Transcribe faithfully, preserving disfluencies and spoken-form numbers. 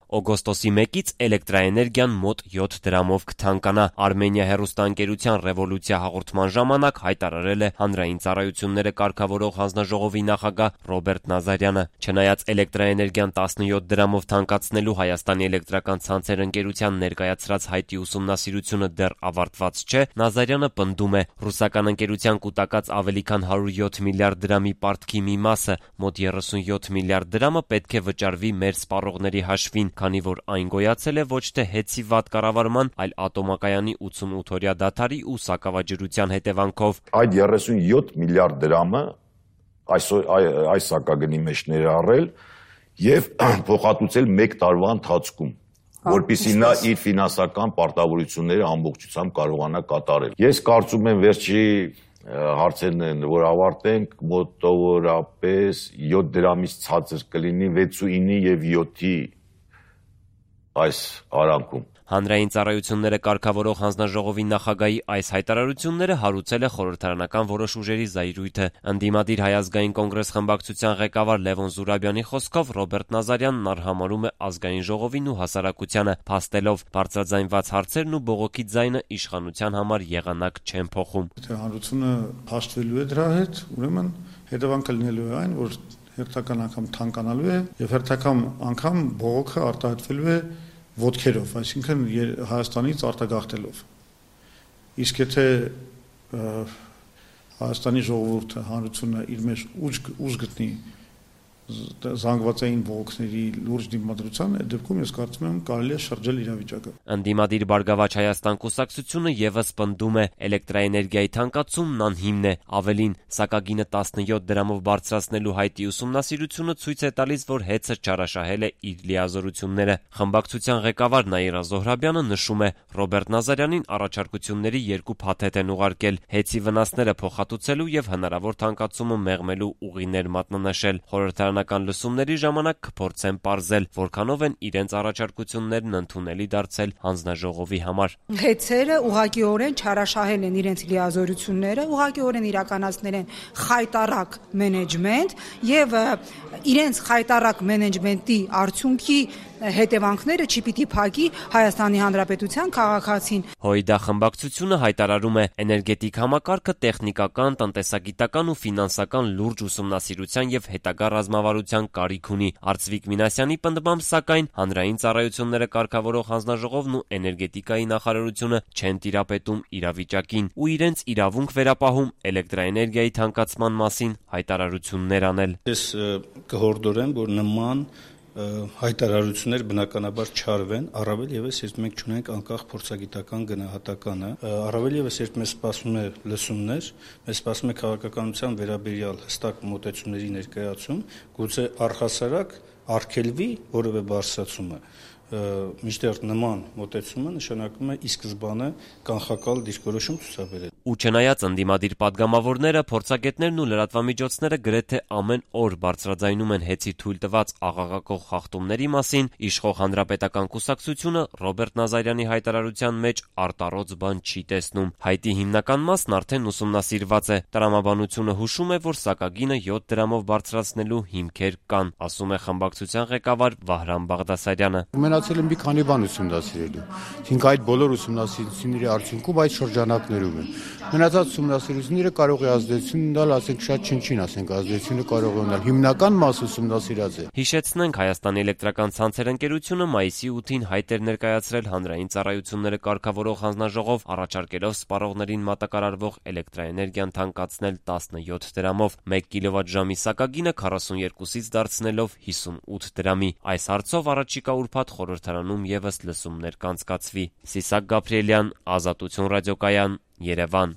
օգոստոսի մեկից էլեկտրաէներգիան մոտ յոթ դրամով կթանկանա։ Արմենիա հեռուստաընկերության «Ռևոլյուցիա» հաղորդման ժամանակ հայտարարել է Հանրային ծառայությունները կարգավորող հանձնաժողովի նախագահ Ռոբերտ Նազարյանը։ Չնայած էլեկտրաէներգիան տասնյոթ դրամով թանկացնելու Հայաստանի էլեկտրական ցանցեր ընկերության ներկայացրած հայտի ուսումնասիրությունը դեռ ավարտված չէ, Նազարյանը պնդում է՝ ռուսական ընկերության կուտակած ավելի քան հարյուր յոթ միլիարդ դրամի պարտքի մի մասը, մոտ երեսունյոթ միլիարդ դրամը պետք է վճարվի մեր սպառողների հաշվին, քանի որ այն գոյացել է ոչ թե հեծի վատ կառավարման, այլ ատոմակայանի ութսունութ-օրյա դադարի ու սակավաջրության հետևանքով։ Այդ երեսունյոթ միլիարդ դրամը այսօր այս սակագնի մեջ ներառել եւ փոխհատուցել մեկ տարվա ընթացքում, որպեսզի նա իր ֆինանսական պարտավորությունները ամբողջությամբ կարողանա կատարել։ Ես կարծում եմ վերջի հարցերն են, որ ավարտենք, մոտավորապես յոթ դրամից ցածր կլինի վեցուինի եւ յոթի այս արանքում։ Հանրային ծառայությունները կարգավորող հանձնաժողովի նախագահի այս հայտարարությունները հարուցել է խորհրդարանական որոշ ուժերի զայրույթը։ Ընդդիմադիր Հայ ազգային կոնգրես խմբակցության ղեկավար Լևոն Զուրաբյանի խոսքով Ռոբերտ Նազարյանն արհամարհում է ազգային ժողովին ու հասարակությանը, փաստելով բարձրաձայնված հարցերն ու բողոքի ձայնը իշխանության համար եղանակ չեն փոխում։ Եթե հանրությունը հաշտվելու է դրա հետ, ուրեմն հետևանքը լինելու է այն, որ հերթական անգամ թանկանալու է եւ հերթական անգամ բողոքը արտահայտվելու է ոտքերով, այսինքն Հայաստանից արտագաղթելով։ Իսկ եթե Հայաստանի ժողովուրդը, հանրությունը իր մեջ ուժ գտնի զանգվածային բողոքների լուրջ դիմադրության, այդ դեպքում ես կարծում եմ կարելի է շրջել իրավիճակը։ Ընդդիմադիր Բարգավաճ Հայաստան կուսակցությունը եւս պնդում է էլեկտրաէներգիայի թանկացումն անհիմն է, ավելին սակագինը տասնյոթ դրամով բարձրացնելու հայտի ուսումնասիրությունը ցույց է տալիս, որ հեծը չարաշահել է իր լիազորությունները։ Խմբակցության ղեկավար Նաիրա Զոհրաբյանը նշում է, Ռոբերտ Նազարյանին առաջարկությունների երկու փաթեթ են ուղարկել՝ հեծի վնասները փոխհատուցելու եւ հնարավոր թանկացումը մեղմելու ուղիներ մատնանշել։ Խորհրդարանական լսումների ժամանակ կփորձեն պարզել, որքանով են իրենց առաջարկություններն ընդունելի դարձել հանձնաժողովի համար։ Հեծերը ուղղակիորեն չարաշահել են իրենց լիազորությունները, ուղղակիորեն իրականացնել են խայտառակ մենեջմենտ եւ իրենց խայտառակ մենեջմենտի արդյունքի հետևանքները չպիտի փակի Հայաստանի Հանրապետության քաղաքացին։ Հույդա խմբակցությունը հայտարարում է, էներգետիկ համակարգը տեխնիկական, տնտեսագիտական ու ֆինանսական լուրջ ուսումնասիրության եւ հետագա ռազմավարության կարիք ունի։ Արծվիկ Մինասյանի պնդմամբ, սակայն հանրային ծառայությունները կարգավորող հանձնաժողովն ու էներգետիկայի նախարարությունը չեն տիրապետում իրավիճակին ու իրենց իրավունք վերապահում էլեկտրաէներգիայի թանկացման մասին հայտարարություններ անել։ Ես կհորդորեմ, որ նման հայտարարություններ բնականաբար չարվեն, առավել եւս երբ մենք չունենք անկախ փորձագիտական գնահատականը, առավել եւս երբ մեզ սպասում է լսումներ, մեզ սպասում է քաղաքականության վերաբերյալ հստակ մոտեցումների ներկայացում, գուցե առհասարակ արգելվի որևէ բարձրացումը, մինչդեռ նման մոտեցումը նշանակում է ի սկզբանե կանխակալ դիրքորոշում ցուցաբերել։ Ու չնայած ընդդիմադիր падգամավորները, փորձագետներն ու լրատվամիջոցները գրեթե ամեն օր բարձրաձայնում են հեծի թույլ տված աղաղակող խախտումների մասին, իշխող հանրապետական կուսակցությունը Ռոբերտ Նազարյանի հայտարարության մեջ արտառոց բան չի տեսնում։ Հայտի հիմնական մասն արդեն ուսումնասիրված է։ Տրամաբանությունը հուշում է, որ սակագինը յոթ դրամով բարձրացնելու հիմքեր կան, ասում է խմբակցության ղեկավար Վահրամ Բաղդասարյանը։ Մնացել են մի քանի բան ուսումնասիրելու։ Իսկ այդ բոլոր ուսումնասիրությունների արդյունքում այդ շրջանակներում են։ Մնացած ուսումնասիրությունները կարող է ազդեցություն ունենալ, ասենք շատ չնչին, ասենք ազդեցությունը կարող է ունենալ։ Հիմնական մասը ուսումնասիրած է։ Հիշեցնենք, Հայաստանի էլեկտրական ցանցեր ընկերությունը մայիսի ութին հայտ էր ներկայացրել հանրային ծառայությունները կարգավորող հանձնաժողով, առաջարկելով սպառողներին մատակարարվող էլեկտրաէներգիան թանկացնել տասնյոթ դրամով, մեկ կիլովատժամի սակագինը քառասունյոթից դարձնելով հիսունութ դրամի։ Այս հարցով առաջիկա ուրբաթ խորհրդարանում եւս լսումներ կանցկացվի։ Սիսակ Գաբրիելյան, Ազատություն ռադիոկայան, Երևան։